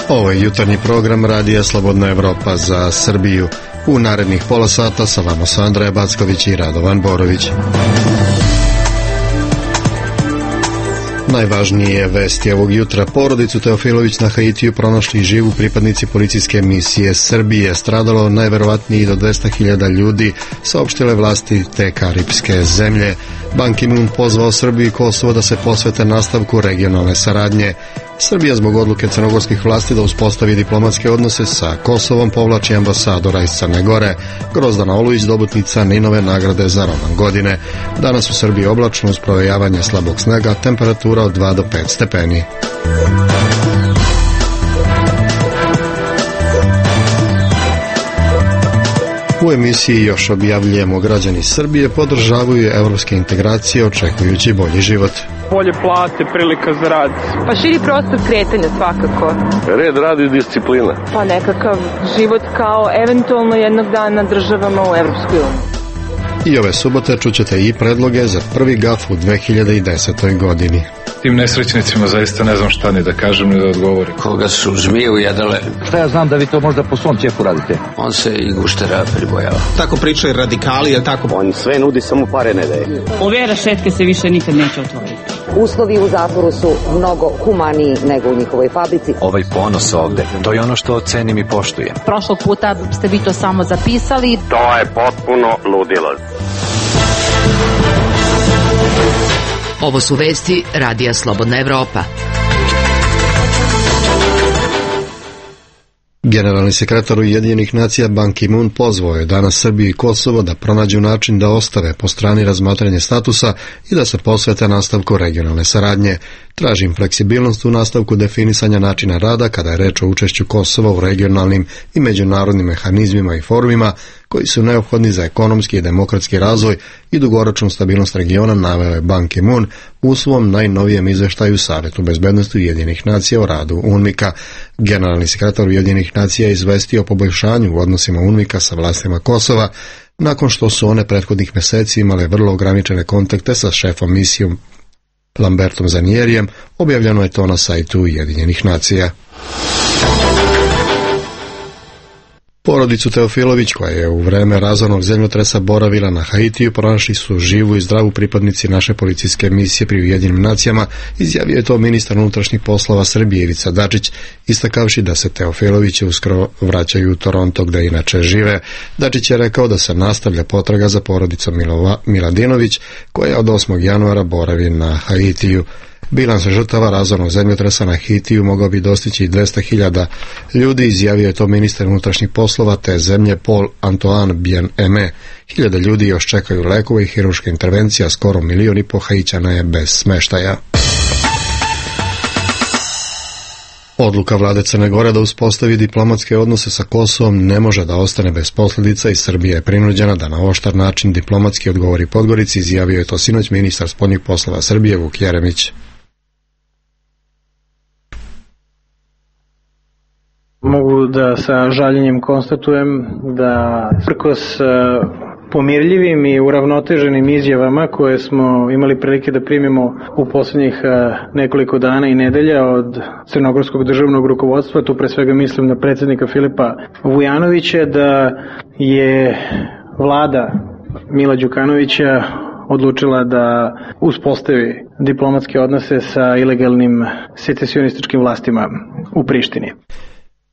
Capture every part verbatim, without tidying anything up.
Ovo je jutarnji program Radija Slobodna Evropa za Srbiju. U narednih pola sata sa vama su Andreja Backović i Radovan Borović. Najvažnije vesti ovog jutra: porodicu Teofilović na Haitiju pronašli živu pripadnici policijske misije Srbije. Stradalo najverovatnije i do dvesta hiljada ljudi, saopštile vlasti te karipske zemlje. Ban Ki-moon pozvao Srbiju i Kosovo da se posvete nastavku regionalne saradnje. Srbija zbog odluke crnogorskih vlasti da uspostavi diplomatske odnose sa Kosovom povlači ambasadora iz Crne Gore. Grozdana Olujić, dobitnica Ninove nagrade za roman godine. Danas u Srbiji oblačno uz provejavanje slabog snega, temperatura od dva do pet stepeni. U emisiji još objavljujemo: građani Srbije podržavaju evropske integracije očekujući bolji život. Bolje plate, prilika za rad. Pa širi prostor kretanja svakako. Red, rad i disciplina. Pa nekakav život kao eventualno jednog dana državama u Evropskoj uniji. I ove subote čućete i predloge za prvi gaf u dve hiljade desetoj godini. Tim nesrećnicima zaista ne znam šta ni da kažem ni da odgovorim. Koga su zmije ujedale. Šta ja znam da vi to možda po svom ćefu radite? On se i guštera pribojava. Tako pričaju radikali, je tako? On sve nudi, samo pare ne daje. Ove rešetke se više nikad neće otvoriti. Uslovi u zatvoru su mnogo humaniji nego u njihovoj fabrici. Ovaj ponos ovde, to je ono što cenim i poštujem. Prošlog puta ste vi to samo zapisali. To je potpuno ludilo. Ovo su vesti Radija Slobodna Evropa. Generalni sekretar Ujedinjenih nacija Ban Ki-moon pozvao je danas Srbiju i Kosovo da pronađu način da ostave po strani razmatranje statusa i da se posvete nastavku regionalne saradnje. Tražim fleksibilnost u nastavku definisanja načina rada kada je reč o učešću Kosova u regionalnim i međunarodnim mehanizmima i forumima koji su neophodni za ekonomski i demokratski razvoj i dugoročnu stabilnost regiona, naveo je Ban Ki-moon u svom najnovijem izveštaju Savetu bezbednosti Ujedinjenih nacija o radu UNMIK-a. Generalni sekretar Ujedinjenih nacija je izvestio o poboljšanju u odnosima UNMIK-a sa vlastima Kosova, nakon što su one prethodnih meseci imale vrlo ograničene kontakte sa šefom misijom Lambertom Zanjerijem. Objavljeno je to na sajtu Ujedinjenih nacija. Porodicu Teofilović, koja je u vreme razornog zemljotresa boravila na Haitiju, pronašli su živu i zdravu pripadnici naše policijske misije pri Ujedinjenim nacijama, izjavio je to ministar unutrašnjih poslova Srbije Ivica Dačić, istakavši da se Teofilovići uskoro vraćaju u Toronto gde inače žive. Dačić je rekao da se nastavlja potraga za porodicom Milova, Miladinović, koja od osmog januara boravi na Haitiju. Bilans žrtava razornog zemljotresa na Haitiju mogao bi dostići dvesta hiljada ljudi, izjavio je to ministar unutrašnjih poslova te zemlje Paul Antoine Bien-Aimé. Hiljade ljudi još čekaju lekove i hirurške intervencije, a skoro milion i po Haitjana je bez smeštaja. Odluka vlade Crne Gore da uspostavi diplomatske odnose sa Kosovom ne može da ostane bez posljedica i Srbija je prinuđena da na oštar način diplomatski odgovori Podgorici, izjavio je to sinoć ministar spoljnih poslova Srbije Vuk Jeremić. Mogu da sa žaljenjem konstatujem da prkos pomirljivim i uravnoteženim izjavama koje smo imali prilike da primimo u posljednjih nekoliko dana i nedelja od crnogorskog državnog rukovodstva, tu pre svega mislim na predsjednika Filipa Vujanovića, da je vlada Mila Đukanovića odlučila da uspostavi diplomatske odnose sa ilegalnim secesionističkim vlastima u Prištini.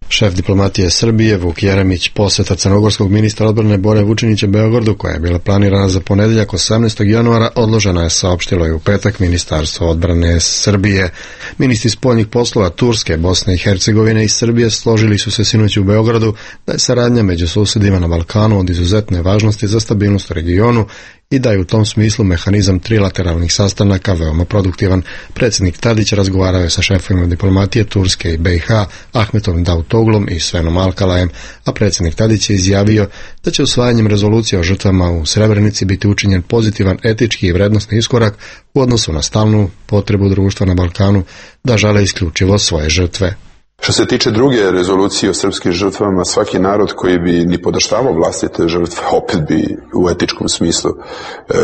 Šef diplomatije Srbije Vuk Jeremić. Poseta crnogorskog ministra odbrane Bore Vučinića Beogradu, koja je bila planirana za ponedeljak osamnaestog januara, odložena je, saopštilo je u petak Ministarstvo odbrane Srbije. Ministri spoljnih poslova Turske, Bosne i Hercegovine i Srbije složili su se sinoć u Beogradu da je saradnja među susedima na Balkanu od izuzetne važnosti za stabilnost u regionu i da je u tom smislu mehanizam trilateralnih sastanaka veoma produktivan. Predsjednik Tadić razgovarao je sa šefovima diplomatije Turske i B i H, Ahmetom Davutoglom i Svenom Alkalajem, a predsjednik Tadić je izjavio da će usvajanjem rezolucije o žrtvama u Srebrenici biti učinjen pozitivan etički i vrednosni iskorak u odnosu na stalnu potrebu društva na Balkanu da žale isključivo svoje žrtve. Što se tiče druge rezolucije o srpskim žrtvama, svaki narod koji bi ni podaštavao vlastite žrtve, opet bi u etičkom smislu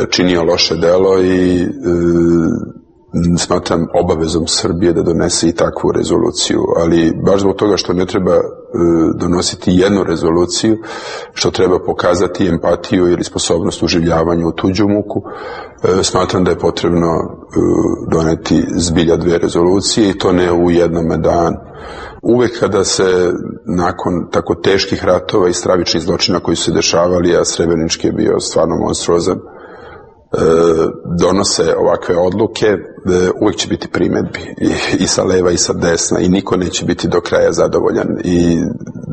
činio loše delo i e, smatram obavezom Srbije da donese i takvu rezoluciju, ali baš zbog toga što ne treba e, donositi jednu rezoluciju, što treba pokazati empatiju ili sposobnost uživljavanja u tuđu muku, e, smatram da je potrebno e, doneti zbilja dve rezolucije i to ne u jednome danu. Uvek kada se nakon tako teških ratova i stravičnih zločina koji su se dešavali, a Srebrenički je bio stvarno monstruozan, donose ovakve odluke, uvek će biti primedbi i, i sa leva i sa desna i niko neće biti do kraja zadovoljan i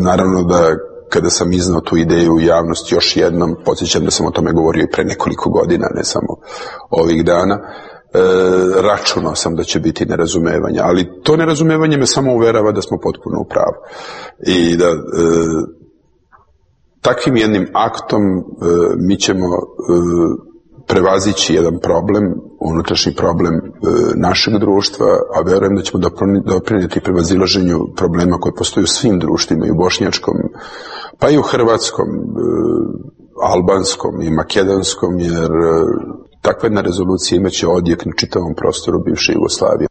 naravno da kada sam iznao tu ideju u javnost još jednom, podsjećam da sam o tome govorio i pre nekoliko godina, ne samo ovih dana, e, računao sam da će biti nerazumevanja, ali to nerazumevanje me samo uverava da smo potpuno u pravu i da e, takvim jednim aktom e, mi ćemo e, prevazići jedan problem, unutrašnji problem e, našeg društva, a verujem da ćemo doprinijeti prevazilaženju problema koji postoje u svim društvima, i u bošnjačkom, pa i u hrvatskom, e, albanskom i makedonskom, jer e, takva jedna rezolucija imaće odjek na čitavom prostoru bivše Jugoslavije.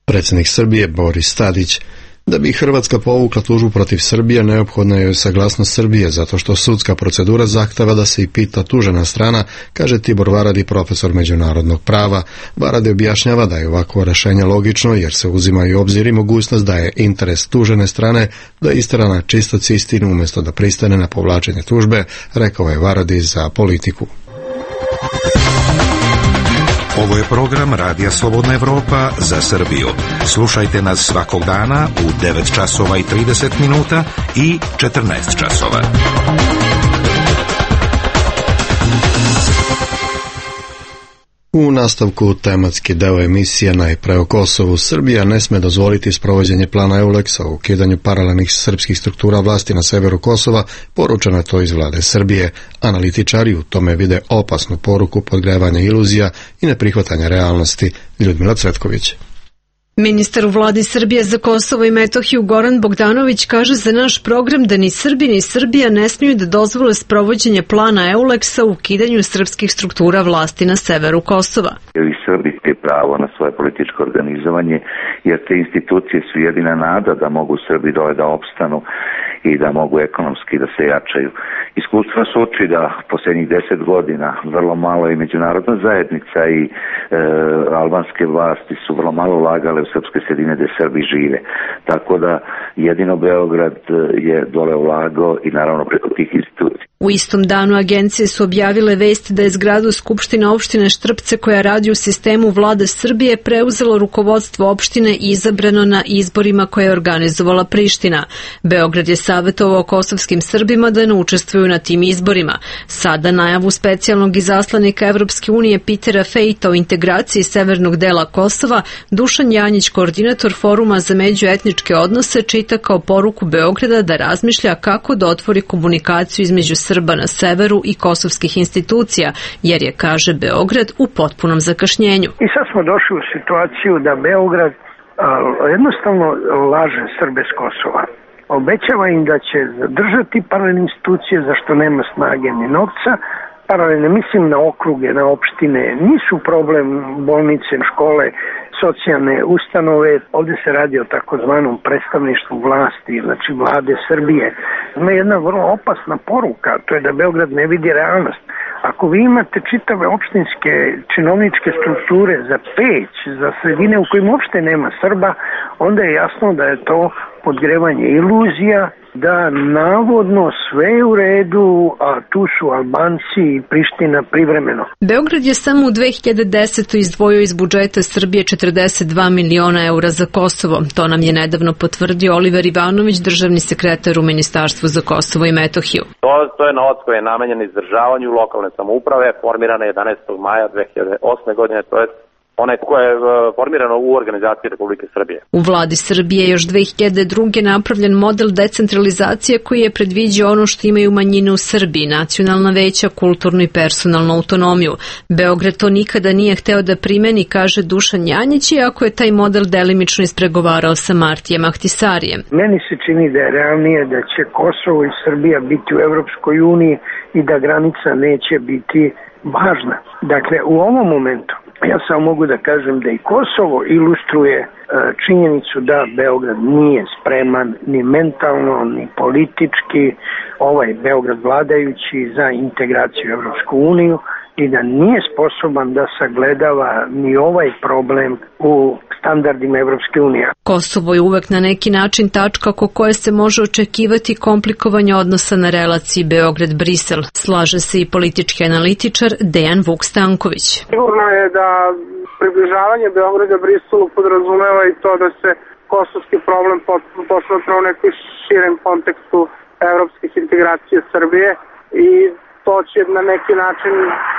Predsjednik Srbije Boris Tadić. Da bi Hrvatska povukla tužbu protiv Srbije, neophodna je saglasnost Srbije, zato što sudska procedura zahteva da se i pita tužena strana, kaže Tibor Varadi, profesor međunarodnog prava. Varadi objašnjava da je ovakvo rešenje logično, jer se uzima i u obzir i mogućnost da je interes tužene strane da istera na čistac istinu umjesto da pristane na povlačenje tužbe, rekao je Varadi za Politiku. Ovo je program Radija Slobodna Evropa za Srbiju. Slušajte nas svakog dana u devet časova i trideset minuta i četrnaest časova. U nastavku tematski deo emisije najpre o Kosovu. Srbija ne sme dozvoliti sprovođenje plana EULEX-a o ukidanju paralelnih srpskih struktura vlasti na severu Kosova, poručeno je to iz vlade Srbije. Analitičari u tome vide opasnu poruku podgrevanja iluzija i neprihvatanja realnosti. Ljudmila Cvetković. Ministar u vladi Srbije za Kosovo i Metohiju Goran Bogdanović kaže za naš program da ni Srbi ni Srbija ne smiju da dozvole sprovođenje plana EULEX-a u ukidanju srpskih struktura vlasti na severu Kosova. I Srbi te pravo na svoje političko organizovanje, jer te institucije su jedina nada da mogu Srbi dole da opstanu i da mogu ekonomski da se jačaju. Iskustva su uči da posljednjih deset godina vrlo malo i međunarodna zajednica i e, albanske vlasti su vrlo malo ulagale u srpske sredine gde Srbi žive. Tako da jedino Beograd je dole ulagao i naravno preko tih institucija. U istom danu agencije su objavile vest da je zgradu Skupštine opštine Štrpce, koja radi u sistemu vlade Srbije, preuzelo rukovodstvo opštine i izabrano na izborima koje je organizovala Priština. Beograd je savjetovao kosovskim Srbima da ne učestvuju na tim izborima. Sada najavu specijalnog izaslanika Evropske unije Petera Fejta o integraciji severnog dela Kosova, Dušan Janjić, koordinator Foruma za međuetničke odnose, čita kao poruku Beograda da razmišlja kako da otvori komunikaciju između Srba na severu i kosovskih institucija, jer je, kaže Beograd, u potpunom zakašnjenju. I sad smo došli u situaciju da Beograd a, jednostavno laže Srbe s Kosova. Obećava im da će zadržati paralelne institucije za što nema snage ni novca. Paralelne, mislim na okruge, na opštine, nisu problem bolnice, škole, socijalne ustanove. Ovdje se radi o takozvanom predstavništvu vlasti, znači vlade Srbije. Ima jedna vrlo opasna poruka, to je da Beograd ne vidi realnost. Ako vi imate čitave opštinske činovničke strukture za Peć, za sredine u kojim uopšte nema Srba, onda je jasno da je to podgrevanje iluzija, da navodno sve je u redu, a tu su Albanci i Priština privremeno. Beograd je samo u dve hiljade desetoj izdvojio iz budžeta Srbije četrdeset dva miliona eura za Kosovo. To nam je nedavno potvrdio Oliver Ivanović, državni sekretar u Ministarstvu za Kosovo i Metohiju. To, to je novac koji je namenjen izdržavanju lokalne samouprave, formirane jedanaestog maja dve hiljade osme godine, to je onaj koje je formirano u organizaciji Republike Srbije. U vladi Srbije još dve hiljade druge napravljen model decentralizacije koji je predviđao ono što imaju manjine u Srbiji, nacionalna veća, kulturnu i personalnu autonomiju. Beograd to nikada nije hteo da primeni, kaže Dušan Janjić, iako je taj model delimično ispregovarao sa Martijem Ahtisarijem. Meni se čini da je realnije da će Kosovo i Srbija biti u Evropskoj uniji i da granica neće biti važna. Dakle, u ovom momentu ja samo mogu da kažem da i Kosovo ilustruje e, činjenicu da Beograd nije spreman ni mentalno, ni politički, ovaj Beograd vladajući, za integraciju u Evropsku uniju i da nije sposoban da sagledava ni ovaj problem u standardima Evropske unije. Kosovo je uvek na neki način tačka oko koje se može očekivati komplikovanje odnosa na relaciji Beograd-Brisel. Slaže se i politički analitičar Dejan Vuk Stanković. Sigurno je da približavanje Beograda-Briselu podrazumeva i to da se kosovski problem posmatra u nekoj širem kontekstu evropskih integracija Srbije i to će na neki način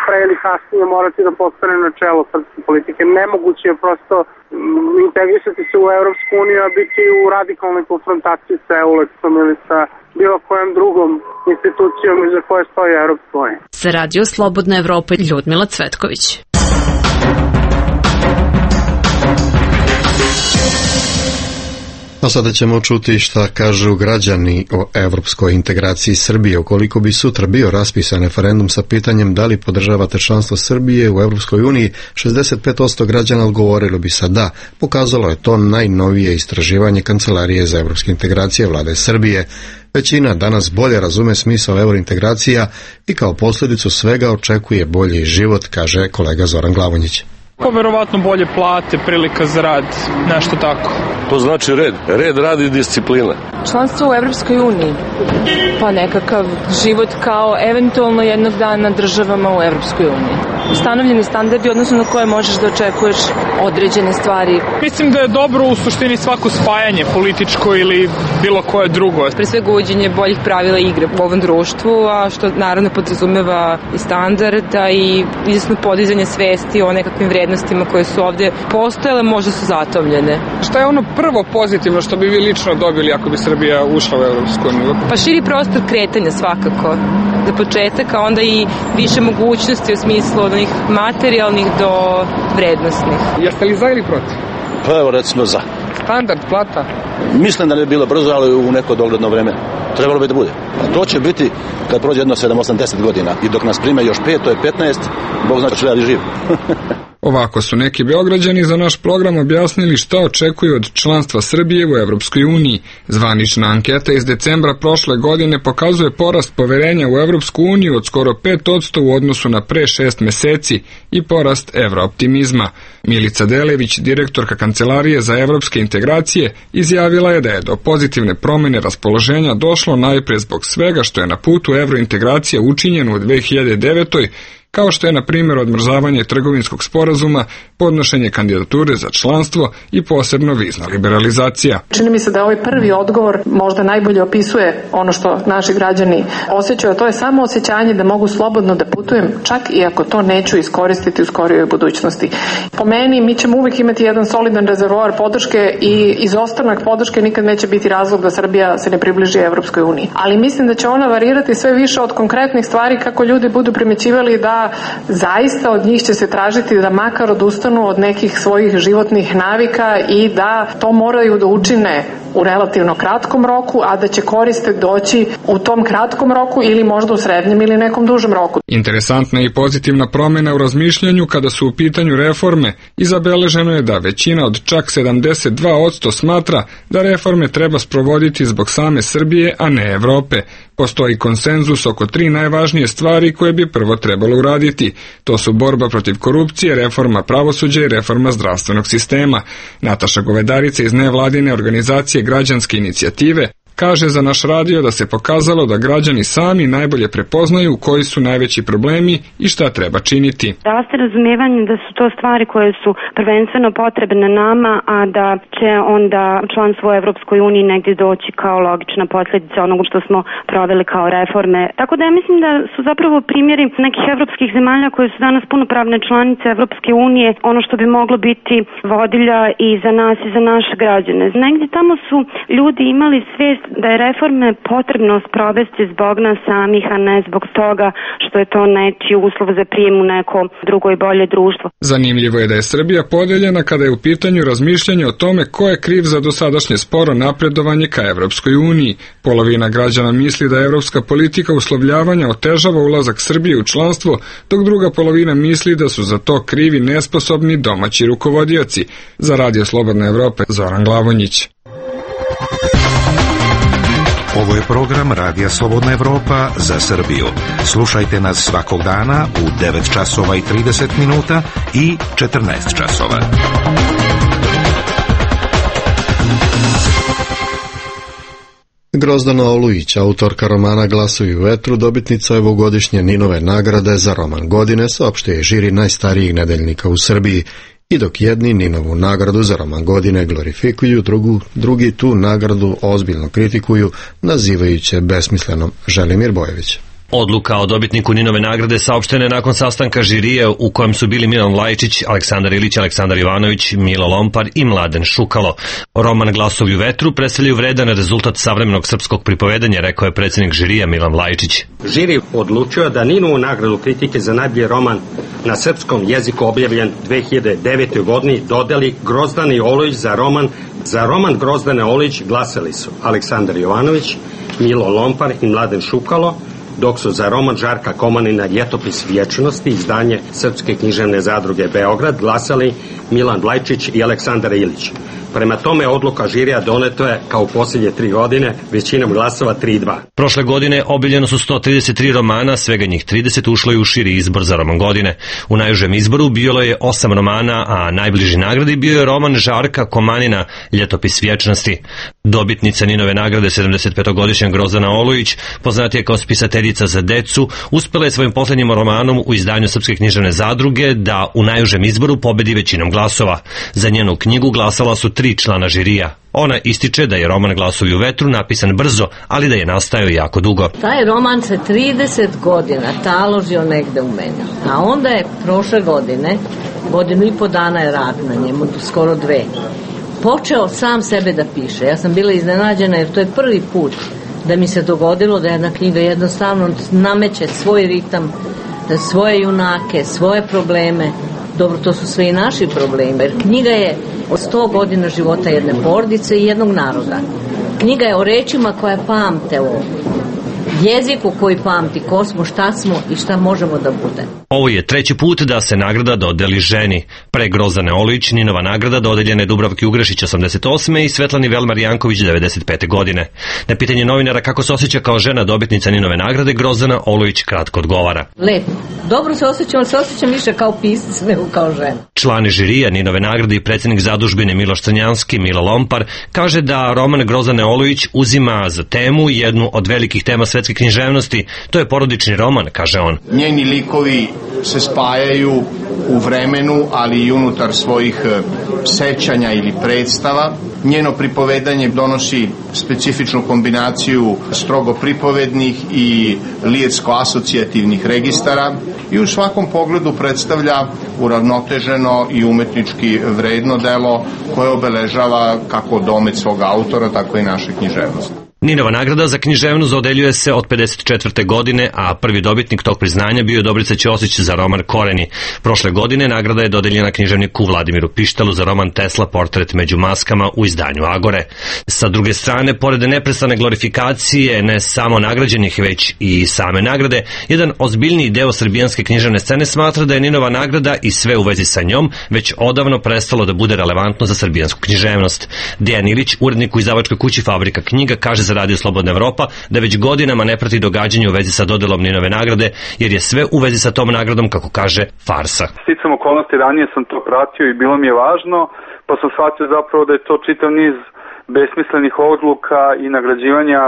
pre ili kasnije morati da postane načelo srpske politike. Nemoguće je prosto integrisati se u Evropsku uniju, a biti u radikalnoj konfrontaciji sa EULEX-om ili sa bilo kojom drugom institucijom iza koje stoji Evropska unija. Za Radio Slobodna Evropa, Ljudmila Cvetković. A sada ćemo čuti šta kažu građani o evropskoj integraciji Srbije. Ukoliko bi sutra bio raspisan referendum sa pitanjem da li podržavate članstvo Srbije u Evropskoj uniji, šezdeset pet posto građana odgovorilo bi sa da. Pokazalo je to najnovije istraživanje Kancelarije za evropske integracije vlade Srbije. Većina danas bolje razume smisao eurointegracija i kao posljedicu svega očekuje bolji život, kaže kolega Zoran Glavonjić. Pa verovatno bolje plate, prilika za rad, nešto tako. To znači red. Red, rad i disciplina. Članstvo u Evropskoj uniji, pa nekakav život kao eventualno jednog dana državama u Evropskoj uniji. Ustanovljeni standardi odnosno na koje možeš da očekuješ određene stvari. Mislim da je dobro u suštini svako spajanje političko ili bilo koje drugo. Pre svega uvođenje boljih pravila igre u ovom društvu, a što naravno podrazumeva i standarda i izvesno podizanje svesti o nekakvim vrednostima koje su ovde postojale, možda su zatomljene. Šta je ono prvo pozitivno što bi vi lično dobili ako bi Srbija ušla u Evropsku uniju? Pa širi prostor kretanja svakako. Za početak, a onda i više mogućnosti u smislu od onih materijalnih do vrednostnih. Jeste li za ili protiv? Pa evo recimo za. Standard, plata? Mislim da ne bi bilo brzo, ali u neko dogledno vreme. Trebalo bi da bude. A to će biti kad prođe jedno sedam osam deset godina i dok nas prime još pet, to je petnaest, Bog zna će li živ. Ovako su neki Beograđani za naš program objasnili šta očekuju od članstva Srbije u Evropskoj uniji. Zvanična anketa iz decembra prošle godine pokazuje porast poverenja u Evropsku uniju od skoro pet posto u odnosu na pre šest meseci i porast evrooptimizma. Milica Delević, direktorka Kancelarije za evropske integracije, izjavila je da je do pozitivne promene raspoloženja došlo najpre zbog svega što je na putu evrointegracije učinjeno u dve hiljade devetoj, kao što je na primjer odmrzavanje trgovinskog sporazuma, podnošenje kandidature za članstvo i posebno vizna liberalizacija. Čini mi se da ovaj prvi odgovor možda najbolje opisuje ono što naši građani osjećaju, a to je samo osjećanje da mogu slobodno da putujem, čak i ako to neću iskoristiti u skorijoj budućnosti. Po meni mi ćemo uvijek imati jedan solidan rezervoar podrške i izostanak podrške nikad neće biti razlog da Srbija se ne približi Evropskoj uniji. Ali mislim da će ona varirati sve više od konkretnih stvari kako ljudi budu primećivali da zaista od njih će se tražiti da makar odustanu od nekih svojih životnih navika i da to moraju da učine u relativno kratkom roku, a da će koriste doći u tom kratkom roku ili možda u srednjem ili nekom dužem roku. Interesantna i pozitivna promjena u razmišljanju kada su u pitanju reforme i zabeleženo je da većina od čak sedamdeset dva posto smatra da reforme treba sprovoditi zbog same Srbije, a ne Evrope. Postoji konsenzus oko tri najvažnije stvari koje bi prvo trebalo uraditi. To su borba protiv korupcije, reforma pravosuđa i reforma zdravstvenog sistema. Nataša Govedarica iz nevladine organizacije Građanske inicijative kaže za naš radio da se pokazalo da građani sami najbolje prepoznaju koji su najveći problemi i šta treba činiti. Raste razumijevanje da su to stvari koje su prvenstveno potrebne nama, a da će onda članstvo u Evropskoj uniji negdje doći kao logična posljedica onoga što smo proveli kao reforme. Tako da ja mislim da su zapravo primjeri nekih evropskih zemalja koje su danas punopravne članice Evropske unije ono što bi moglo biti vodilja i za nas i za naše građane. Negdje tamo su ljudi imali svijest da je reforme potrebno sprovesti zbog nas samih, a ne zbog toga što je to nečiji uslov za prijem u neko drugo i bolje društvo. Zanimljivo je da je Srbija podeljena kada je u pitanju razmišljanje o tome ko je kriv za dosadašnje sporo napredovanje ka Evropskoj uniji. Polovina građana misli da evropska politika uslovljavanja otežava ulazak Srbije u članstvo, dok druga polovina misli da su za to krivi nesposobni domaći rukovodioci. Za Radio Slobodna Evropa, Zoran Glavonjić. Ovo je program Radija Slobodna Evropa za Srbiju. Slušajte nas svakog dana u devet časova i trideset minuta i četrnaest časova. Grozdana Olujić, autorka romana Glasovi u vetru, dobitnica ovogodišnje Ninove nagrade za roman godine, saopštuje žiri najstarijih nedeljnika u Srbiji. I dok jedni Ninovu nagradu za roman godine glorifikuju, drugu, drugi tu nagradu ozbiljno kritikuju, nazivajući je besmislenom. Želimir Bojević. Odluka o dobitniku Ninove nagrade saopštena je nakon sastanka žirije u kojem su bili Milan Lajčić, Aleksandar Ilić, Aleksandar Ivanović, Milo Lompar i Mladen Šukalo. Roman Glasovi u vetru predstavljaju vredan rezultat savremenog srpskog pripovedanja, rekao je predsjednik žirija Milan Lajčić. Žiri odlučio da Ninovu nagradu kritike za najbolji roman na srpskom jeziku objavljen dve hiljade devete. godini dodeli Grozdani Olujić za roman. Za roman Grozdane Olujić glasali su Aleksandar Jovanović, Milo Lompar i Mladen Šukalo, dok su za roman Žarka Komanina Ljetopis vječnosti, izdanje Srpske književne zadruge Beograd, glasali Milan Lajčić i Aleksandar Ilić. Prema tome, odluka žirija doneto je, kao u posljednje tri godine, većinom glasova tri dva. Prošle godine objavljeno su sto trideset tri romana, svega njih trideset ušlo je u širi izbor za roman godine. U najužem izboru bilo je osam romana, a najbliži nagradi bio je roman Žarka Komanina Ljetopis vječnosti. Dobitnica Ninove nagrade, sedamdesetpetogodišnja Grozdana Olujić, poznatija kao spisateljica za decu, uspela je svojim posljednjim romanom u izdanju Srpske književne zadruge da u najužem izboru pobedi većinom glasova. Za njenu knjigu glasala su tri člana žirija. Ona ističe da je roman Glasovi u vetru napisan brzo, ali da je nastajao jako dugo. Taj roman se trideset godina taložio negde u mene, a onda je prošle godine, godinu i po dana je rad na njemu, skoro dve, počeo sam sebe da piše. Ja sam bila iznenađena jer to je prvi put da mi se dogodilo da jedna knjiga jednostavno nameće svoj ritam, svoje junake, svoje probleme. Dobro, to su sve i naši problemi, jer knjiga je o sto godina života jedne porodice i jednog naroda. Knjiga je o rečima koje pamte, o jeziku koji pamti ko smo, šta smo i šta možemo da bude. Ovo je treći put da se nagrada dodeli ženi. Pre Grozdane Olujić Ninova nagrada dodeljena je Dubravki Ugrešić osamdeset osme i Svetlani Velmar Janković devedeset pete. godine. Na pitanje novinara kako se osjeća kao žena dobitnica Ninove nagrade, Grozdana Olujić kratko odgovara. Lepo. Dobro se osjećam, ali se osjećam više kao pisac nego kao žena. Člani žirija Ninove nagrade i predsjednik zadužbine Miloš Crnjanski, Milo Lompar, kaže da roman Grozdane Olujić uzima za temu jednu od velikih tema svetske književnosti. To je porodični roman, kaže on. Njeni likovi se spajaju u vremenu, ali i unutar svojih sećanja ili predstava. Njeno pripovedanje donosi specifičnu kombinaciju strogo pripovednih i lijetsko-asocijativnih registara i u svakom pogledu predstavlja uravnoteženo i umetnički vredno delo koje obeležava kako domet svog autora, tako i naše književnosti. Ninova nagrada za književnost dodeljuje se od pedeset četvrte. godine, a prvi dobitnik tog priznanja bio je Dobrica Ćosić za roman Koreni. Prošle godine nagrada je dodeljena književniku Vladimiru Pištalu za roman Tesla portret među maskama u izdanju Agore. Sa druge strane, pored neprestane glorifikacije ne samo nagrađenih, već i same nagrade, jedan ozbiljniji deo srbijanske književne scene smatra da je Ninova nagrada i sve u vezi sa njom već odavno prestalo da bude relevantno za srbijansku književnost. Dejan Ilić, urednik u izdavačkoj kući Fabrika knjiga, kaže za Radio Slobodna Evropa da već godinama ne prati događanje u vezi sa dodelom Ninove nagrade, jer je sve u vezi sa tom nagradom, kako kaže, farsa. Sticam okolnosti, ranije sam to pratio i bilo mi je važno, pa sam shvatio zapravo da je to čitav niz besmislenih odluka i nagrađivanja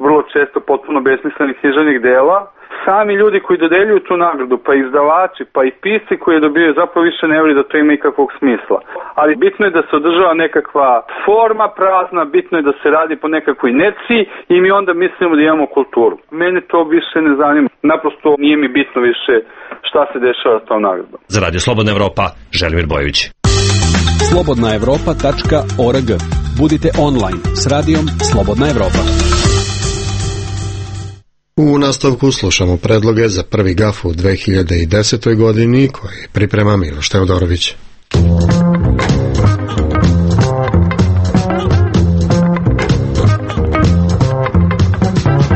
vrlo često potpuno besmislenih književnih dela. Sami ljudi koji dodeljuju tu nagradu, pa izdavači, pa i pisci koji je dobijaju, zapravo više ne voli da to ima ikakvog smisla. Ali bitno je da se održava nekakva forma prazna, bitno je da se radi po nekakvoj inerciji i mi onda mislimo da imamo kulturu. Mene to više ne zanima, naprosto nije mi bitno više šta se dešava s tom nagradom. Za Radio Slobodna Evropa, Želimir Bojović. slobodna evropa tačka org. Budite online s radijom Slobodna Evropa. U nastavku slušamo predloge za prvi gaf u dve hiljade desetoj godini koji priprema Miloš Teodorović.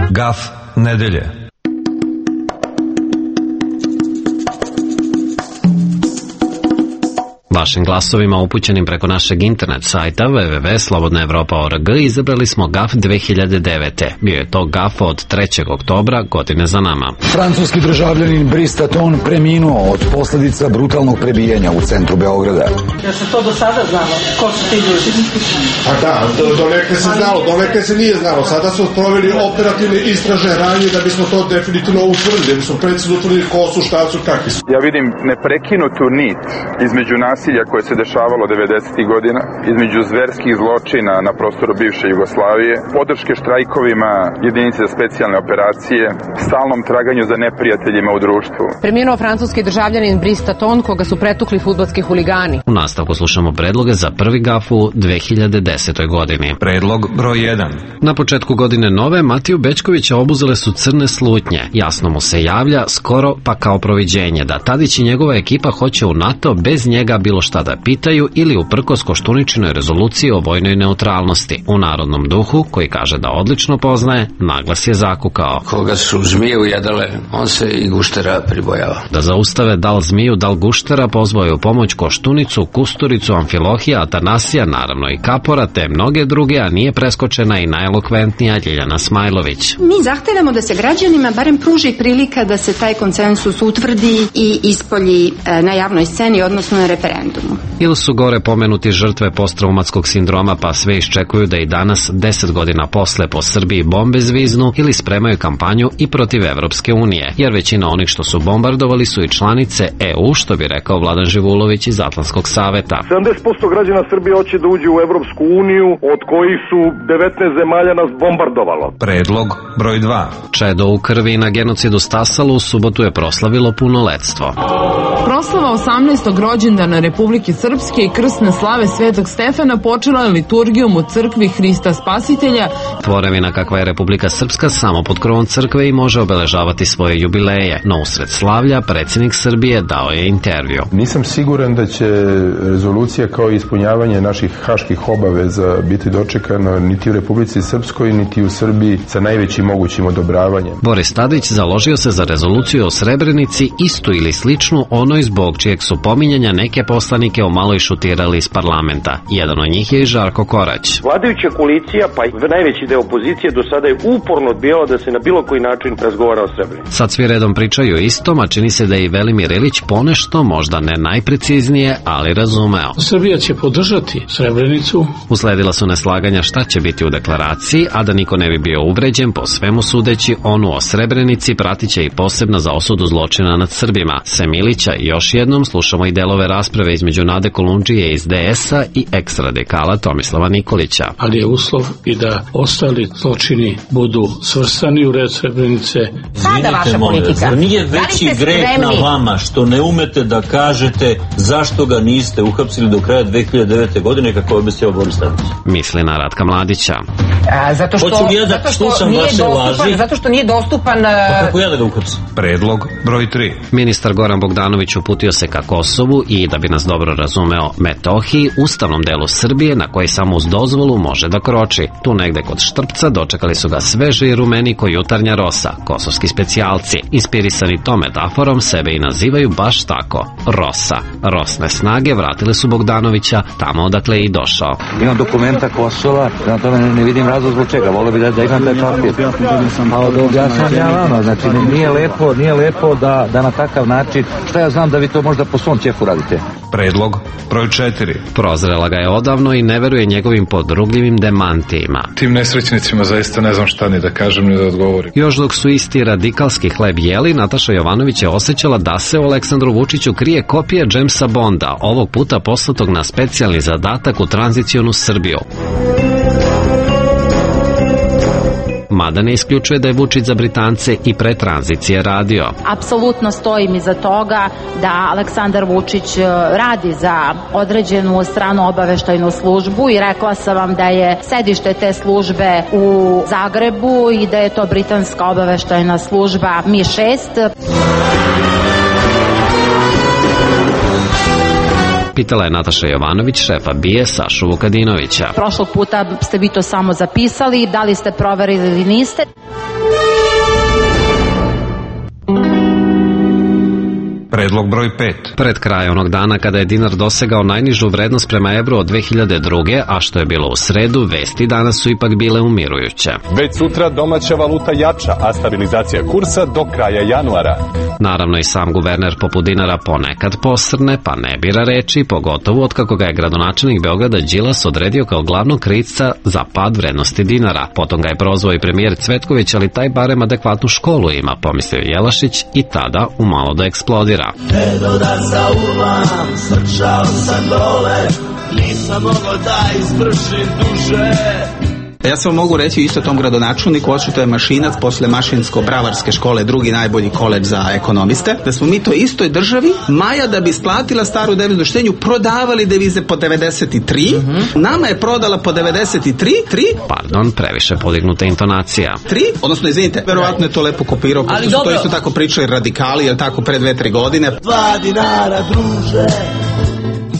Gaf nedelje. Vašim glasovima upućenim preko našeg internet sajta w w w tačka slobodna evropa tačka org izabrali smo gaf dve hiljade devete. Bio je to gaf od trećeg oktobra godine za nama. Francuski državljanin Brice Taton preminuo od posljedica brutalnog prebijanja u centru Beograda. Ja se to do sada znalo, ko su ti ljudi? Pa da, do, do neke se znalo, do neke se nije znalo. Sada smo proveli operativne istražne radnje da bismo to definitivno utvrdili, da bismo precizno utvrdili ko su, šta su, kakvi su. Ja vidim neprekinutu nit između nasilja koje se dešavalo devedesetih godina, između zverskih zločina na prostoru bivše Jugoslavije, podrške štrajkovima jedinice za specijalne operacije, stalnom traganju za neprijateljima u društvu. Preminuo francuski državljanin Brice Taton, koga su pretukli fudbalski huligani. U nastavku slušamo predloge za prvi gaf u dve hiljade desetoj godini. Predlog broj jedan. Na početku godine nove Matiju Bećkovića obuzele su crne slutnje. Jasno mu se javlja, skoro pa kao proviđenje, da Tadić i njegova ekipa hoće u NATO bez njega bilo šta da pitaju ili uprkos Koštuničinoj rezoluciji o vojnoj neutralnosti. U narodnom duhu, koji kaže da odlično poznaje, naglas je zakukao. Koga su zmije ujedale, on se i guštera pribojava. Da zaustave dal zmiju, dal guštera, pozvao je u pomoć Koštunicu, Kusturicu, Amfilohija, Atanasija, naravno i Kapora, te mnoge druge, a nije preskočena i najelokventnija Ljiljana Smajlović. Mi zahtevamo da se građanima barem pruži prilika da se taj konsensus utvrdi i ispolji na javnoj sceni, odnosno na referendumu. Ili su gore pomenuti žrtve posttraumatskog sindroma, pa sve iščekuju da i danas, deset godina posle, po Srbiji bombe zviznu ili spremaju kampanju i protiv Evropske unije, jer većina onih što su bombardovali su i članice E U, što bi rekao Vladan Živulović iz Atlantskog saveta. sedamdeset posto građana Srbije hoće da uđe u Evropsku uniju, od kojih su devetnaest zemalja nas bombardovalo. Predlog broj dva. Čedo u krvi na genocidu stasalo u subotu je proslavilo punoletstvo. Proslava osamnaestog rođendana Republike Srpske i krsne slave Svetog Stefana počela je liturgijom u crkvi Hrista Spasitelja. Tvorevina kakva je Republika Srpska samo pod krovom crkve i može obeležavati svoje jubileje, no usred slavlja predsjednik Srbije dao je intervju. Nisam siguran da će rezolucija kao ispunjavanje naših haških obaveza biti dočekana niti u Republici Srpskoj, niti u Srbiji sa najvećim mogućim odobravanjem. Boris Tadić založio se za rezoluciju o Srebrenici, istu ili sličnu onoj zbog čijeg su pominjanja neke poslanike o malo šutirali iz parlamenta. Jedan od njih je i Žarko Korać. Vladajuća koalicija, pa i najveći deo opozicije do sada je uporno odbijala da se na bilo koji način razgovara o Srebrenici. Sad svi redom pričaju istom, a čini se da je i Velimir Ilić ponešto, možda ne najpreciznije, ali razumeo. Srbija će podržati Srebrenicu. Usledila su neslaganja šta će biti u deklaraciji, a da niko ne bi bio uvređen, po svemu sudeći, onu o Srebrenici pratit će i posebna za osudu zločina nad Srbima. Sem Ilića i još jednom slušamo i delove rasprave između Nade Kolundžije iz D S-a i eks-radikala Tomislava Nikolića. Ali je uslov i da ostali zločini budu svrstani u red Srebrenice. Sada vaša politika. Nije veći greh na vama što ne umete da kažete zašto ga niste uhapsili do kraja dve hiljade devete. godine kako je obećao Boris Tadić. Misli na Ratka Mladića. A, zato što, ja da zato što nije dostupan, zato što nije dostupan... Pa kako ja da ga uhapsim? Predlog broj tri. Ministar Goran Bogdanović uputio se ka Kosovu i, da bi nas dobro razumeo, Metohiji, ustavnom delu Srbije na koji samo uz dozvolu može da kroči. Tu negde kod Štrpca dočekali su ga sveži i rumeni ko jutarnja rosa, kosovski specijalci. Inspirisani tom metaforom sebe i nazivaju baš tako, Rosa. Rosne snage vratile su Bogdanovića tamo odakle je i došao. Imam dokumenta Kosova, na tome ne, ne vidim razlog zbog čega, volio bi da, da imam taj papir. A da objasnam ja vama, znači nije lepo, nije lepo da, da na takav način, šta ja znam znam da vi to možda po svom ćefu radite. Predlog broj četiri. Prozrela ga je odavno i ne veruje njegovim podrugljivim demantijima. Tim nesrećnicima zaista ne znam šta ni da kažem ni da odgovorim. Još dok su isti radikalski hleb jeli, Nataša Jovanović je osjećala da se u Aleksandru Vučiću krije kopija Jamesa Bonda, ovog puta poslatog na specijalni zadatak u tranzicionu Srbiju. Mada ne isključuje da je Vučić za Britance i pre tranzicije radio. Apsolutno stojim iza toga da Aleksandar Vučić radi za određenu stranu obaveštajnu službu i rekla sam vam da je sedište te službe u Zagrebu i da je to britanska obaveštajna služba M I šest. Pitala je Nataša Jovanović, šefa B I A Sašu Vukadinovića. Prošlog puta ste vi to samo zapisali, da li ste proverili ili niste? Predlog broj pet. Pred kraj onog dana kada je dinar dosegao najnižu vrednost prema evru od dve hiljade druge. a što je bilo u sredu, vesti danas su ipak bile umirujuće. Već sutra domaća valuta jača, a stabilizacija kursa do kraja januara. Naravno i sam guverner poput dinara ponekad posrne, pa ne bira reči, pogotovo otkako ga je gradonačelnik Beograda Đilas odredio kao glavnog krivca za pad vrednosti dinara. Potom ga je prozvao i premijer Cvetković, ali taj barem adekvatnu školu ima, pomislio Jelašić i tada umalo da eksplodira. Edo da zaurvam, srčao sam dole, nisam mogao da izvršim duže. Ja samo mogu reći isto tom gradonačelniku, očito je Mašinac posle Mašinsko-bravarske škole drugi najbolji koledž za ekonomiste, da smo mi to istoj državi Maja da bi isplatila staru deviznu štednju prodavali devize po devedeset tri, uh-huh. Nama je prodala po devedeset tri, tri. Pardon, previše podignuta intonacija. tri, odnosno izvinite, verovatno je to lepo kopirao, pošto su to isto tako pričali radikali, jel tako, pre dve, tri godine. Dva dinara, druže.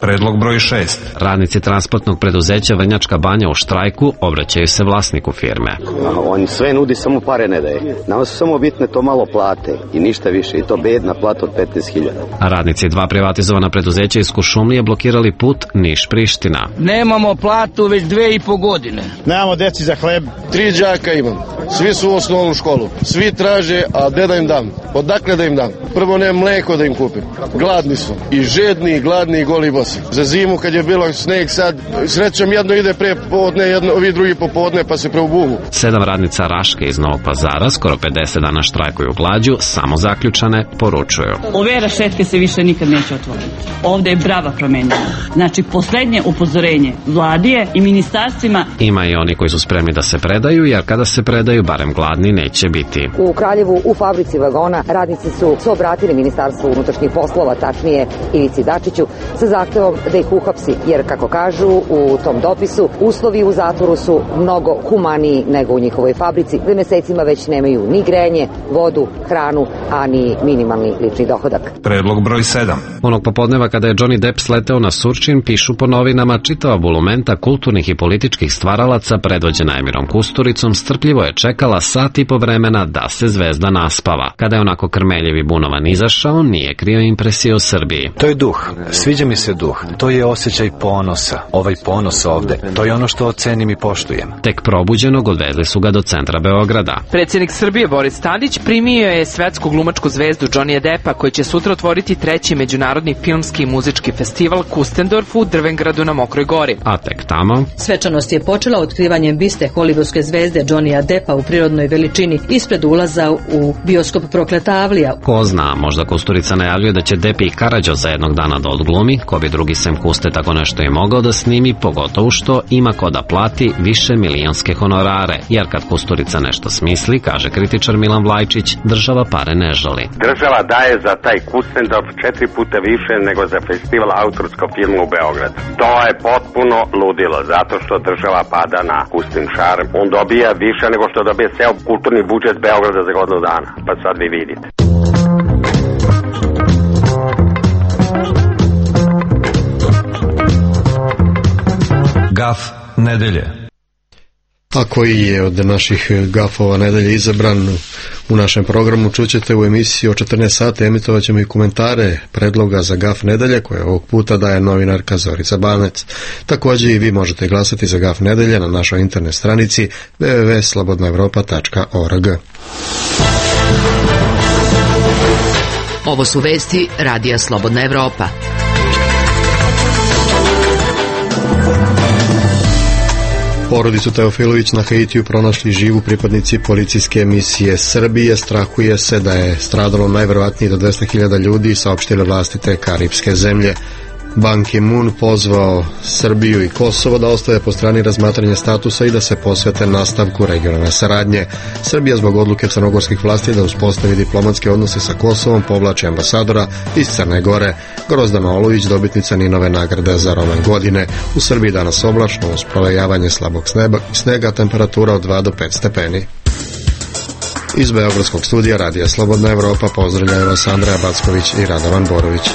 Predlog broj šest. Radnici transportnog preduzeća Vrnjačka Banja u štrajku obraćaju se vlasniku firme. On sve nudi, samo pare ne daje. Nama su samo bitne to malo plate i ništa više, i to bedna plata od petnaest hiljada. A radnici dva privatizovana preduzeća iz Kuršumlije blokirali put Niš-Priština. Nemamo platu već dve i po godine. Nemamo deci za hleb. Tri đaka imam. Svi su u osnovnu školu. Svi traže, a gde da im dam? Odakle da im dam? Prvo nemam mleko da im kupim. Gladni su. I žedni, i gladni, i goli bosi. Za zimu kad je bilo sneg sad, srećom jedno ide pre popodne, jedno, ovi drugi popodne pa se preubuvu. Sedam radnica Raške iz Novog Pazara skoro pedeset dana štrajkuju glađu, samo zaključane poručuju. Ove rašetke se više nikad neće otvoriti. Ovde je brava promenjena. Znači, poslednje upozorenje vladije i ministarstvima. Ima i oni koji su spremni da se predaju, jer kada se predaju, barem gladni neće biti. U Kraljevu, u fabrici vagona, radnici su se obratili Ministarstvu unutrašnjih poslova, tačnije Ivici Dačiću, sa zahtevom da ih uhapsi, jer kako kažu u tom dopisu, uslovi u zatvoru su mnogo humaniji nego u njihovoj fabrici, gde mesecima već nemaju ni grejanje, vodu, hranu, a ni minimalni lični dohodak. Predlog broj sedam. Onog popodneva kada je Johnny Depp sleteo na Surčin, pišu po novinama, čitava bulumenta kulturnih i političkih stvaralaca predvođena Emirom Kusturicom strpljivo je čekala sat i po vremena da se zvezda naspava. Kada je onako krmeljiv i bunovan izašao, nije krio impresije o Srbiji. To je duh. Sviđa mi se duh. To je osjećaj ponosa. Ovaj ponos ovde. To je ono što ocenim i poštujem. Tek probuđenog odvezli su ga do centra Beograda. Predsjednik Srbije Boris Tadić primio je svetsku glumačku zvezdu Johnnyja Deppa, koji će sutra otvoriti treći međunarodni filmski i muzički festival Kustendorf u Drvengradu na Mokroj Gori. A tek tamo... Svečanost je počela otkrivanjem biste hollywoodske zvezde Johnnyja Deppa u prirodnoj veličini ispred ulaza u bioskop Prokleta Avlija. Ko zna, možda Kusturica najavljuje da će Depp i Karađo za jednog dana da odglumi, ko bi drugi sem Kuste tako nešto i mogao da snimi, pogotovo što ima ko da plati više milionske honorare, jer kad Kusturica nešto smisli, kaže kritičar Milan Vlajčić, država pare ne žali. Država daje za taj Kustendorf četiri puta više nego za festival autorskog filma u Beogradu. To je potpuno ludilo, zato što država pada na Kustin šarm. On dobija više nego što dobije ceo kulturni budžet Beograda za godinu dana, pa sad vi vidite. Gaf nedelje. A koji je od naših gafova nedelje izabran u našem programu, čućete u emisiji o četrnaest sati. Emitovat ćemo i komentare predloga za gaf nedelje koje ovog puta daje novinarka Zorica Banec. Također i vi možete glasati za gaf nedelje na našoj internet stranici w w w tačka slobodna evropa tačka org. Ovo su vesti Radija Slobodna Evropa. Porodicu Teofilović na Haitiju pronašli živu pripadnici policijske misije Srbije. Strahuje se da je stradalo najverovatnije do dvesta hiljada ljudi, saopštile vlasti te karipske zemlje. Ban Ki-moon pozvao Srbiju i Kosovo da ostave po strani razmatranje statusa i da se posvete nastavku regionalne saradnje. Srbija zbog odluke crnogorskih vlasti da uspostavi diplomatske odnose sa Kosovom povlači ambasadora iz Crne Gore. Grozdana Olović, dobitnica Ninove nagrade za roman godine. U Srbiji danas oblačno uz provejavanje slabog snega, temperatura od dva do pet stepeni. Iz Beogradskog studija Radija Slobodna Evropa pozdravljaju vas Andreja Backović i Radovan Borović.